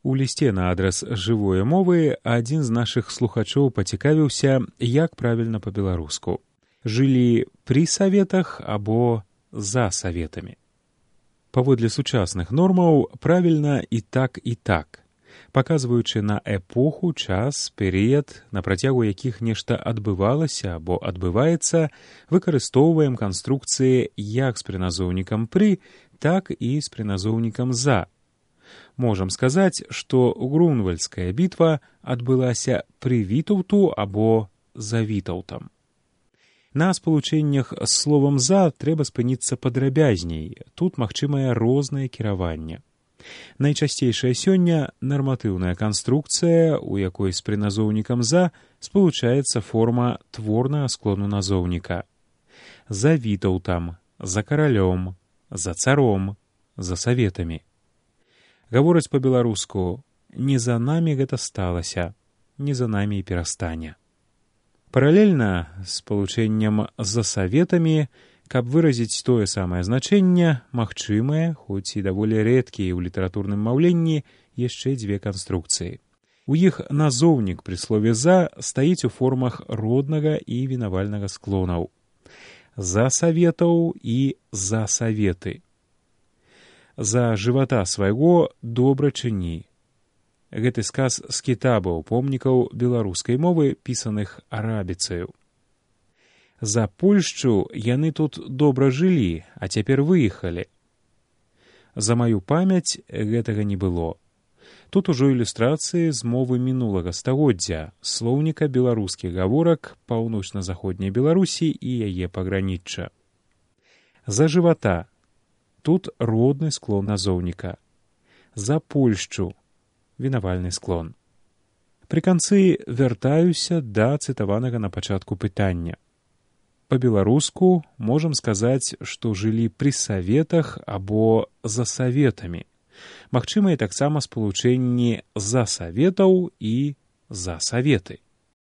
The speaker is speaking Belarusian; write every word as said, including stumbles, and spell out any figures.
У лісце на адрас жывое мовы адзін з нашых слухачоў пацікавіўся, як правільна па-беларуску. Жылі пры саветах або за саветамі. Паводле сучасных нормаў правільна і так, і так, паказваючы на эпоху, час, перыяд, на працягу якіх нешта адбывалася або адбываецца, выкарыстоўваем канструкцыі як з прыназоўнікам «пры», так і з прыназоўнікам «за». Можам сказаць, што Грунвальдская бітва адбылася пры Вітаўту або за Вітаўтам. На спалучэннях з словам «за» трэба спыніцца падрабязней, тут магчымае рознае кіраванне. Найчасцейшая сёння нарматыўная канструкцыя, у якой з прыназоўнікам «за» спалучаецца форма творнага склону назоўніка. За Вітаўтам, за каралём, за царом, за саветамі. Гавораць па-беларуску «не за намі гэта сталася, не за намі і перастане». Паралельна з спалучэннем «за саветамі», каб выразіць тое самае значэнне, магчымыя, хоць і даволі рэдкія ў літаратурным маўленні, яшчэ дзве канструкцыі. У іх назоўнік пры слове «за» стаіць у формах роднага і вінавальнага склонаў. За саветаў і за саветы. За жывата свайго добра чыні. Гэты сказ з кітабаў помнікаў беларускай мовы, пісаных арабіцаю. За Польшчу яны тут добра жылі, а цяпер выехалі. За маю памяць гэтага не было. Тут ужо ілюстрацыі з мовы мінулага стагоддзя, слоўніка беларускіх гаворак паўночна-заходняй Беларусі і яе пагранічча. За жывата. Тут родны склон назоўніка. За Польшчу. Вінавальны склон. Пры канцы вяртаюся да цытаванага на пачатку пытання. Па-беларуску можам сказаць, што жылі пры саветах або за саветамі. Магчымыя таксама спалучэнні за саветаў і за саветы.